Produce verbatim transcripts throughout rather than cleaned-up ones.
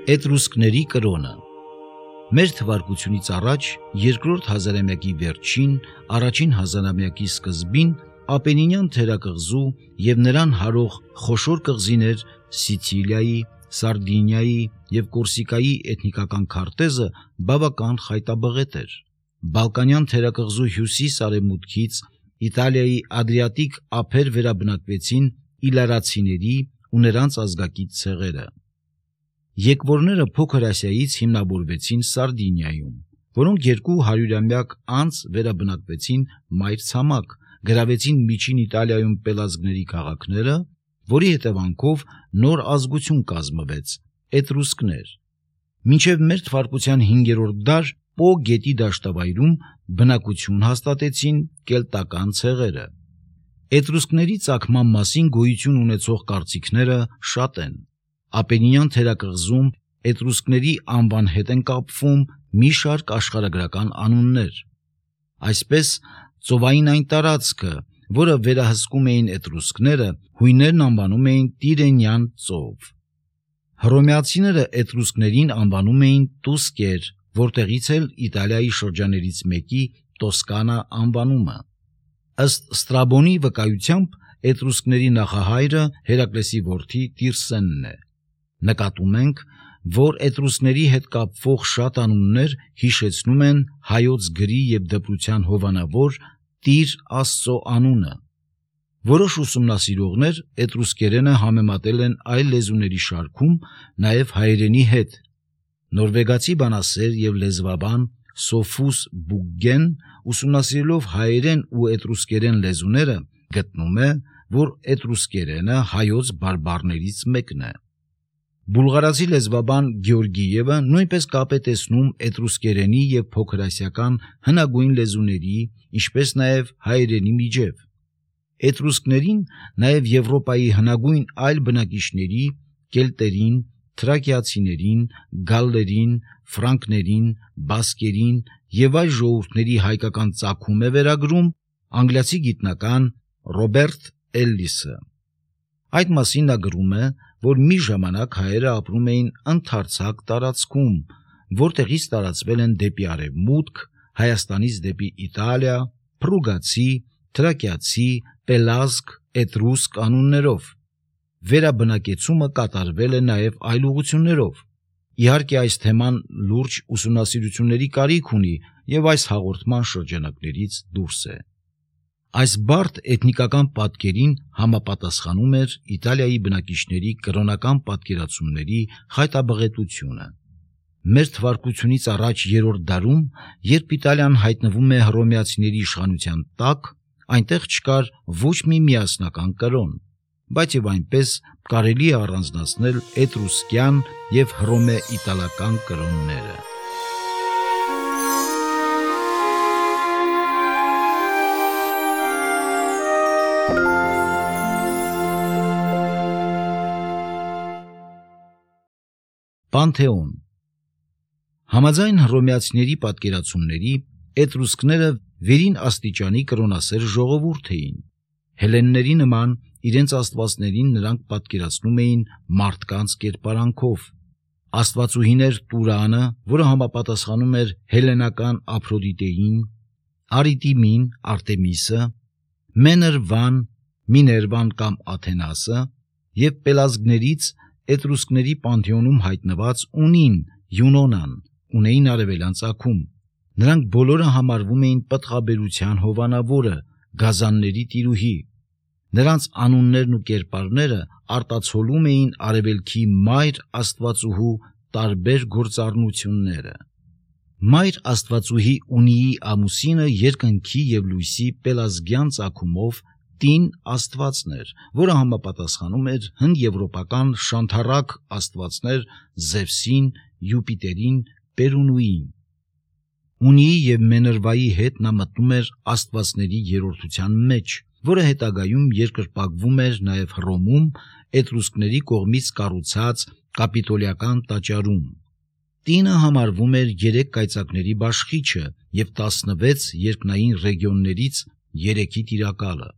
Էտրուսկների կրոնը։ Մեր թվարկությունից առաջ երկրորդ հազարամյակի վերջին, առաջին հազարամյակի սկզբին Ապենինյան թերակղզու և նրան հարող խոշոր կղզիներ Սիցիլիայի, Սարդինիայի և Կորսիկայի էթնիկական քարտեզը բավական խայտաբղետ էր։ Բալկանյան թերակղզու հյուսիս-արևմուտքից Իտալիայի Ադրիատիկ ափեր վերաբնակվեցին իլարացիների ու նրանց ազգակից ցեղերը։ Եկվորները Փոքր Ասիայից հիմնավորվեցին Սարդինիայում, որոնք երկու հարյուրամյակ անց վերաբնակվեցին մայրցամաք, գրավեցին Միջին Իտալիայում պելազգների քաղաքները, որի հետևանքով նոր ազգություն կազմվեց՝ էտրուսկներ։ Մինչև մեր թվարկության հինգերորդ դար Պո գետի դաշտավայրում բնակություն հաստատեցին կելտական ցեղերը։ Էտրուսկների ծագման մասին գոյություն ունեցող կարծիքները շատ են։ Ապենինյան թերակղզում էտրուսկների անվան հետ են կապվում մի շարք աշխարհագրական անուններ։ Այսպես, ծովային այն տարածքը, որը վերահսկում էին էտրուսկները, հույներն անվանում էին Տիրենյան ծով։ Հռոմեացիները էտրուսկներին անվանում էին Տուսկեր, որտեղից էլ Իտալիայի շրջաններից մեկի Տոսկանա անվանումը։ Ըստ Ստրաբոնի վկայությամբ էտրուսկների նախահայրը Հերակլեսի որդի Տիրսենն է։ Նկատում ենք, որ էտրուսկների հետ կապվող շատ անուններ հիշեցնում են հայոց գրի և դպրության հովանավոր Տիր Աստծո անունը։ Որոշ ուսումնասիրողներ էտրուսկերենը համեմատել են այլ լեզուների շարքում նաև հայերենի հետ։ Նորվեգացի բանասեր և լեզվաբան Սոֆուս Բուգգեն, ուսումնասիրելով հայերեն ու էտրուսկերեն լեզուները, գտնում է, որ էտրուսկերենը հայոց բարբառներից մեկն է։ Բուլղարացի լեզվաբան Գեորգիևը նույնպես կապ է տեսնում էտրուսկերենի և փոքրասիական հնագույն լեզուների, ինչպես նաև հայերենի միջև։ Էտրուսկներին նաև Եվրոպայի հնագույն այլ բնակիչների՝ կելտերին, թրակիացիներին, գալլերին, ֆրանկներին, բասկերին և այլ ժողովուրդների հայկական ծագում է վերագրում անգլիացի գիտնական Ռոբերտ Էլլիսը։ Այդ մասին նա գրում է, որ մի ժամանակ հայերը ապրում էին ընդարձակ տարածքում, որտեղից տարածվել են դեպի արևմուտք, Հայաստանից դեպի Իտալիա, փռուգացի, թրակիացի, պելազգ, էտրուսկ անուններով։ Վերաբնակեցումը կատարվել է նաև այլ ուղղություններով։ Իհարկե, այս թեման լուրջ ուսումնասիրությունների կարիք ունի և այս հաղորդման շրջանակներից դուրս է։ Այս բարդ էթնիկական պատկերին համապատասխանում էր Իտալիայի բնակիչների կրոնական պատկերացումների խայտաբղետությունը։ Մեր թվարկությունից առաջ երրորդ դարում, երբ Իտալիան հայտնվում է հռոմեացիների իշխանության տակ, այնտեղ չկար ոչ մի միասնական կրոն, բայց և այնպես կարելի է առանձնացնել էտրուսկյան և հռոմե-իտալական կրոնները։ Պանթեոն։ Համաձայն հռոմեացիների պատկերացումների, էտրուսկները վերին աստիճանի կրոնասեր ժողովուրդ էին։ Հելլենների նման իրենց աստվածներին նրանք պատկերացնում էին մարդկանց կերպարանքով։ Աստվածուհիներ Տուրանը, որը համապատասխանում էր հելլենական Ափրոդիտեին, Արիտիմին, Արտեմիսը, Մեներվան, Միներվան կամ Աթենասը և պելազգներից էտրուսկների պանթեոնում հայտնված Ունին, Յունոնան ունեին արևելյան ծագում։ Նրանք բոլորը համարվում էին պտղաբերության հովանավորը, գազանների տիրուհի։ Նրանց անուններն ու կերպարները արտացոլում էին արևելքի մայր աստվածուհու տարբեր գործառնությունները։ Մայր աստվածուհի Ունիի ամուսինը երկնքի և լույսի պելազգյան ծագումով տին աստվածն էր, որը համապատասխանում էր հնդեվրոպական շանթառակ աստվածներ Զևսին, Յուպիտերին, Պերունուին։ Ունիի և Մեներվայի հետ նա մտնում էր աստվածների երրորդության մեջ, որը հետագայում երկրպագվում էր նաև Հռոմում էտրուսկների կողմից կառուցած կապիտոլիական տաճարում։ Տինը համարվում էր երեք կայծակների բաշխիչը և տասնվեց երկնային ռեգիոններից երեքի տիրակալը։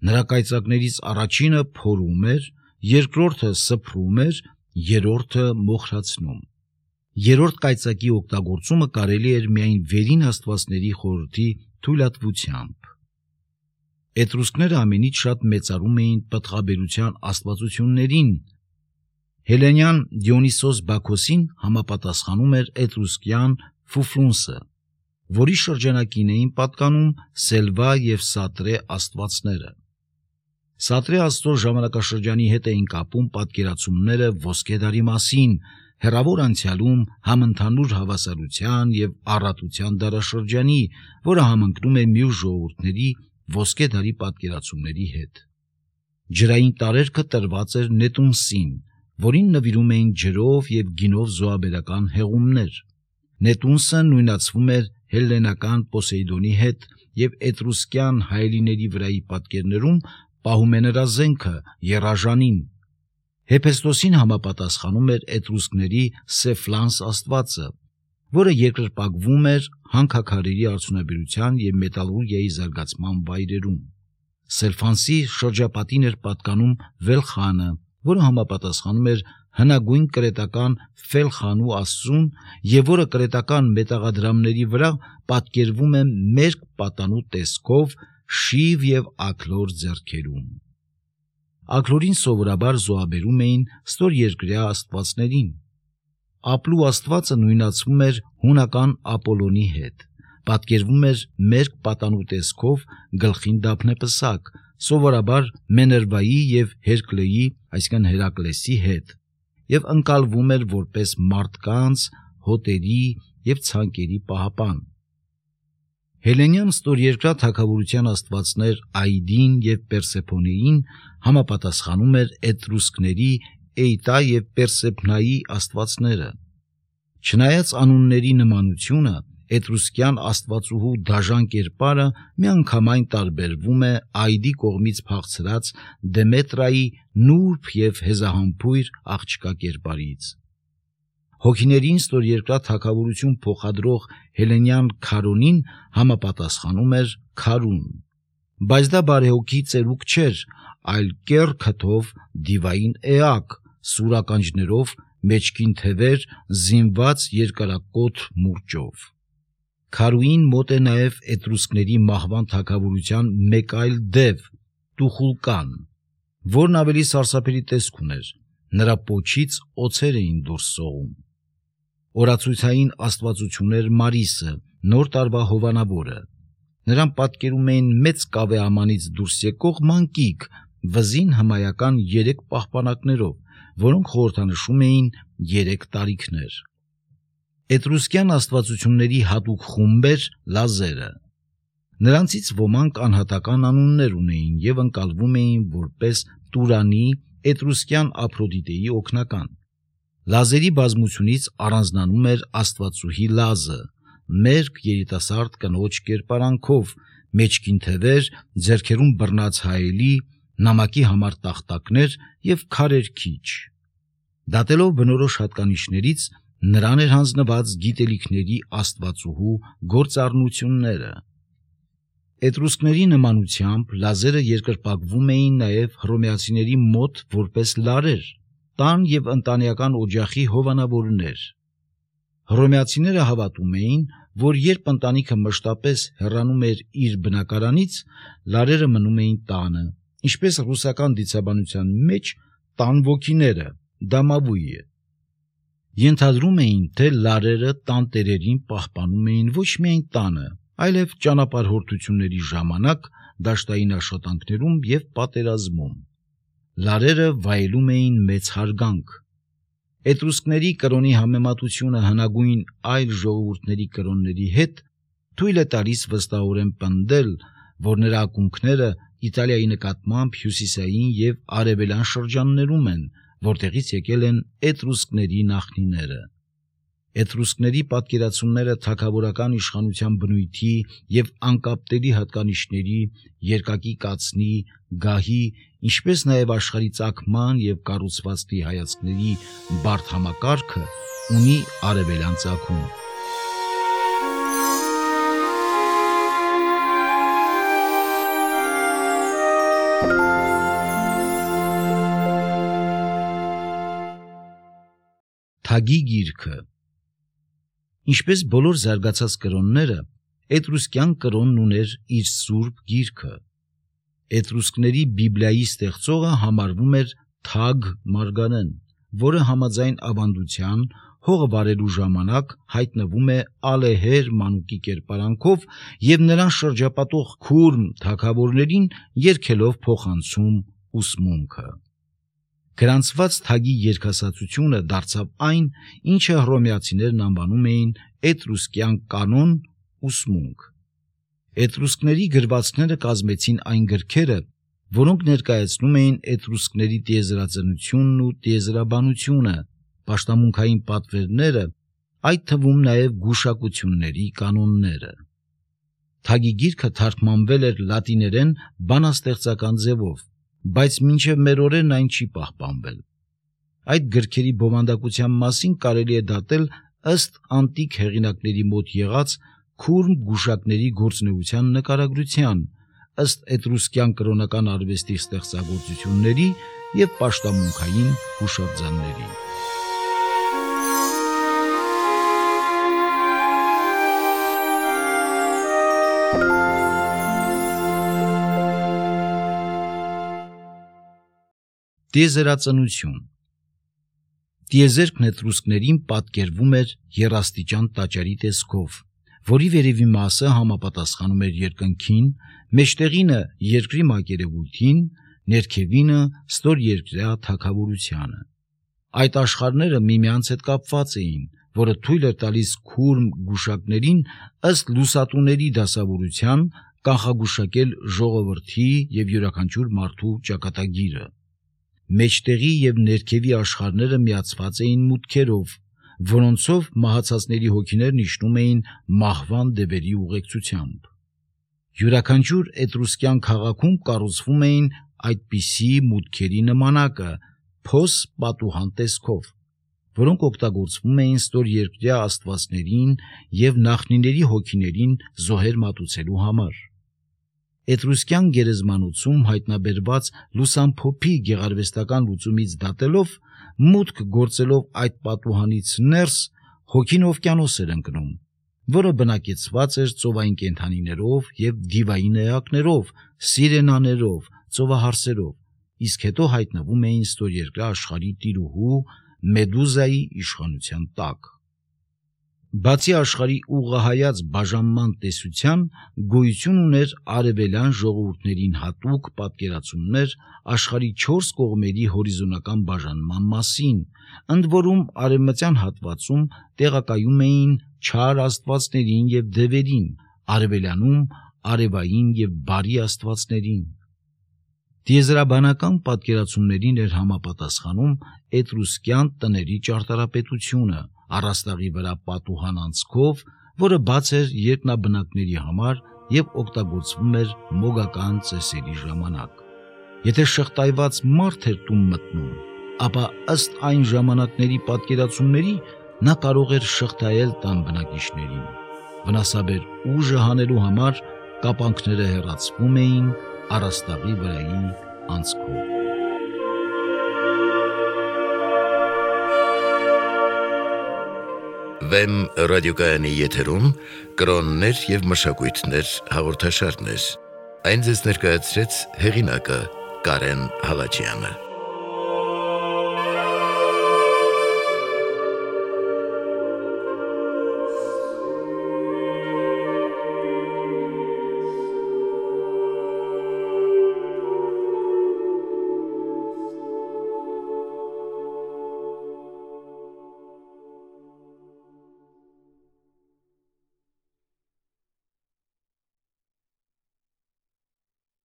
Նրա կայծակներից առաջինը փորում էր, երկրորդը սփռում էր երրորդը մոխրացնում։ Երրորդ կայծակի օգտագործումը կարելի էր միայն վերին աստվածների խորհրդի թույլատվությամբ։ Էտրուսկները ամենից շատ մեծարում էին պտղաբերության աստվածություններին։ Հելենյան Դիոնիսոս Բաքոսին համապատասխանում էր էտրուսկյան Ֆուֆլունսը, որի շրջանակին էին պատկանում Սելվա և Սատրե աստվածները։ Սատրե աստծո ժամանակաշրջանի հետ էին կապում պատկերացումները ոսկե դարի մասին, հեռավոր անցյալում համընդհանուր հավասարության և առատության դարաշրջանի, որը համընկնում է մյուս ժողովուրդների ոսկե դարի պատկերացումների հետ։ Ջրային տարերքը տրված էր Նետունսին, որին նվիրում էին ջրով և գինով զոհաբերական հեղումներ։ Նետունսը նույնացվում էր հելլենական Պոսեյդոնի հետ և էտրուսկյան հայելիների վրայի պատկերներում պահում է նրա զենքը՝ եռաժանին։ Հեփեստոսին համապատասխանում էր էտրուսկների Սեֆլանս աստվածը, որը երկրպագվում էր հանքաքարերի արդյունաբերության և մետալուրգիայի զարգացման վայրերում։ Սելֆանսի շրջապատին էր պատկանում Վելխանը, որը համապատասխանում էր հնագույն կրետական Ֆելխանու աստծուն և որը կրետական մետաղադրամների վրա պատկերվում է մերկ պատանու տեսքով շիվ և աքլոր ձեռքերում։ Աքլորին սովորաբար զոհաբերում էին ստորերկրյա աստվածներին։ Ապլու աստվածը նույնացվում էր հունական Ապոլոնի հետ, պատկերվում էր մերկ պատանու տեսքով գլխին դափնեպսակ, սովորաբար Մեներվայի և Հերկլեի, այսինքն Հերակլեսի հետ, և ընկալվում էր որպես մարդկանց, հոտերի և ցանկերի պահապան։ Հելենյան ստորերկրյա թագավորության աստվածներ Այդին և Պերսեփոնեին համապատասխանում էր էտրուսկների Էյտա և Պերսեփնայի աստվածները։ Չնայած անունների նմանությունը, էտրուսկյան աստվածուհու դաժան կերպարը միանգամայն տարբերվում է Այդի կողմից փախցրած Դեմետրայի նուրբ և հեզահամբույր աղջկա կերպարից։ Հոգիներին ստորերկրյա թագավորություն փոխադրող հելենյան Քարոնին համապատասխանում էր Քարուն, բայց դա բարեհոգի ծերուկ չէր, այլ կեռ քթով դիվային էակ, սուր ականջներով, մեջքին թևեր, զինված երկարակոթ մուրճով։ Քարուին մոտ է նաև էտրուսկների մահվան թագավորության մեկ այլ դև՝ Տուխուլկան, որն ավելի սարսափելի տեսք ուներ, նրա պոչից օձեր էին դուրս սողում։ Օրացույցային աստվածություն էր Մարիսը, նոր տարվա հովանավորը։ Նրան պատկերում էին մեծ կավե ամանից դուրս եկող մանկիկ, վզին հմայական երեք պահպանակներով, որոնք խորհրդանշում էին երեք տարիքներ։ Էտրուսկյան աստվածությունների հատուկ խումբ էր լազերը։ Նրանցից ոմանք անհատական անուններ ունեին և ընկալվում էին որպես Տուրանի, էտրուսկյան Ափրոդիտեի օգնական։ Լազերի բազմությունից առանձնանում էր աստվածուհի Լազը, մերկ երիտասարդ կնոջ կերպարանքով, մեջքին թևեր, ձեռքերում բռնած հայելի, նամակի համար տախտակներ և քարեր քիչ։ Դատելով բնորոշ հատկանիշներից, նրան էր հանձնված գիտելիքների աստվածուհու գործառնությունները։ Էտրուսկների նմանությամբ լազերը երկրպագվում էին նաև հռոմեացիների մոտ որպես լարեր, տան և ընտանեկան օջախի հովանավորներ։ Հռոմեացիները հավատում էին, որ երբ ընտանիքը մշտապես հեռանում էր իր բնակարանից, լարերը մնում էին տանը, ինչպես ռուսական դիցաբանության մեջ տան ոգիները, դամավույը։ Ենթադրում էին, թե լարերը տանտերերին պահպանում էին ոչ միայն տանը, այլև ճանապարհորդությունների ժամանակ, դաշտային աշխատանքներում և պատերազմում։ Լարերը վայելում էին մեծ հարգանք։ Էտրուսկների կրոնի համեմատությունը հնագույն այլ ժողովուրդների կրոնների հետ թույլ է տալիս վստահորեն պնդել, որ նրա ակունքները Իտալիայի նկատմամբ հյուսիսային և արևելյան շրջաններում են, որտեղից եկել են էտրուսկների նախնիները։ Էտրուսկների պատկերացումները թագավորական իշխանության բնույթի և անկապտելի հատկանիշների, երկակի կացնի, գահի, ինչպես նաև աշխարհի ծագման և կառուցվածքի հայացքների բարդ համակարգը ունի արևելյան ծագում։ Թագի գիրքը։ Ինչպես բոլոր զարգացած կրոնները, էտրուսկյան կրոնն ուներ իր սուրբ գիրքը։ Էտրուսկների Բիբլիայի ստեղծողը համարվում էր Թագ Մարգարեն, որը համաձայն ավանդության հողը վարելու ժամանակ հայտնվում է ալեհեր մանուկի կերպարանքով և նրան շրջապատող քուրմ թագավորներին երգելով փոխանցում ուսմունքը։ Գրանցված թագի երգասացությունը դարձավ այն, ինչը հռոմեացիներն անվանում էին էտրուսկյան կանոն ուսմունք։ Էտրուսկների գրվածքները կազմեցին այն գրքերը, որոնք ներկայացնում էին էտրուսկների տիեզերածնությունն ու տիեզերաբանությունը, պաշտամունքային պատվերները, այդ թվում նաև գուշակությունների կանոնները։ Թագի գիրքը թարգմանվել էր լատիներեն բանաստեղծական ձևով, բայց մինչև մեր օրերն այն չի պահպանվել։ Այդ գրքերի բովանդակության մասին կարելի է դատել ըստ անտիկ հեղինակների մոտ եղած քուրմ գուշակների գործունեության նկարագրության, ըստ էտրուսկյան կրոնական արվեստի ստեղծագործությունների և պաշտամունքային հուշարձանների։ Տիեզերածնություն։ Տիեզերքն էտրուսկներին պատկերվում էր եռաստիճան տաճարի տեսքով, որի վերևի մասը համապատասխանում էր երկնքին, մեջտեղինը երկրի մակերևույթին, ներքևինը ստորերկրյա թագավորությանը։ Այդ աշխարհները միմյանց հետ կապված էին, որը թույլ էր տալիս քուրմ գուշակներին ըստ լուսատուների դասավորության կանխագուշակել ժողովրդի և յուրաքանչյուր մարդու ճակատագիրը։ Մեջտեղի և ներքևի աշխարհները միացված էին մուտքերով, որոնցով մահացածների հոգիներն իջնում էին մահվան դևերի ուղեկցությամբ։ Յուրաքանչյուր էտրուսկյան քաղաքում կառուցվում էին այդպիսի մուտքերի նմանակը փոս պատուհան տեսքով, որոնք օգտագործվում էին ստորերկրյա աստվածներին և նախնիների հոգիներին զոհեր մատուցելու համար։ Էտրուսկյան գերեզմանոցում հայտնաբերված լուսամփոփի գեղարվեստական լուծումից դատելով, մուտք գործելով այդ պատուհանից ներս, հոգին օվկիանոս էր ընկնում, որը բնակեցված էր ծովային կենդանիներով և դիվային էակներով, սիրենաներով, ծովահարսերով, իսկ հետո հայտնվում էին ստորերկրյա աշխարհի տիրուհու Մեդուզայի իշխանության տակ։ Բացի աշխարհի ուղղահայաց բաժանման տեսության, գոյություն ուներ արևելյան ժողովուրդներին հատուկ պատկերացումներ աշխարհի չորս կողմերի հորիզոնական բաժանման մասին, ընդ որում արևմտյան հատվածում տեղակայում էին չար աստվածներին և դևերին, արևելյանում արևային և բարի աստվածներին։ Տիեզերաբանական պատկերացումներին էր համապատասխանում էտրուսկյան տների ճարտարապետությունը առաստաղի վրա պատուհան անցքով, որը բաց էր երկնաբնակների համար և օգտագործվում էր մոգական ծեսերի ժամանակ։ Եթե շղթայված մարդ էր տուն մտնում, ապա ըստ այն ժամանակների պատկերացումների նա կարող էր շղթայել տան բնակիչներին։ Վնասաբեր ուժը հանելու համար կապանքները հեռացվում էին առաստաղի վրայի անցքով։ Վեմ ռադիոկայանի եթերում կրոններ և մշակույթներ հաղորդաշարներ։ Այն ձեզ ներկայացրեց հեղինակը Կարեն Հալաջյանը։